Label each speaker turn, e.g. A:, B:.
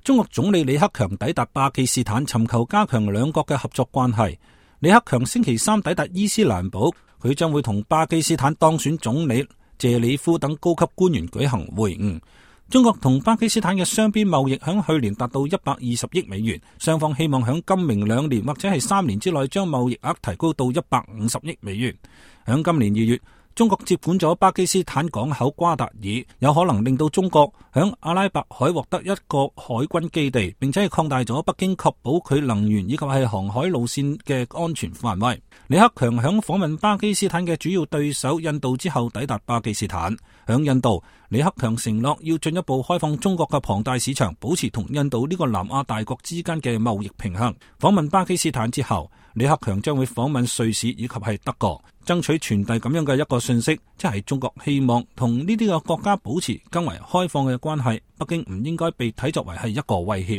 A: 中國總理李克強抵達巴基斯坦，尋求加強兩國嘅合作關係。李克強星期三抵達伊斯蘭堡，佢將會同巴基斯坦當選總理謝里夫等高級官員舉行會晤。中國同巴基斯坦嘅雙邊貿易響去年達到120億美元，雙方希望響今明2年或者係3年之內將貿易額提高到150億美元。響今年2月，中國接管咗巴基斯坦港口瓜達爾，有可能令到中國響阿拉伯海獲得一個海軍基地，並且係擴大咗北京確保佢能源以及係航海路線嘅安全範圍。李克強響訪問巴基斯坦嘅主要對手印度之後抵達巴基斯坦。響印度，李克強承諾要進一步開放中國嘅龐大市場，保持同印度呢個南亞大國之間嘅貿易平衡。訪問巴基斯坦之後，李克強將會訪問瑞士以及係德國，爭取傳遞咁樣嘅一個信息，即係中國希望同呢啲嘅國家保持更為開放嘅關係。北京唔應該被睇作為係一個威脅。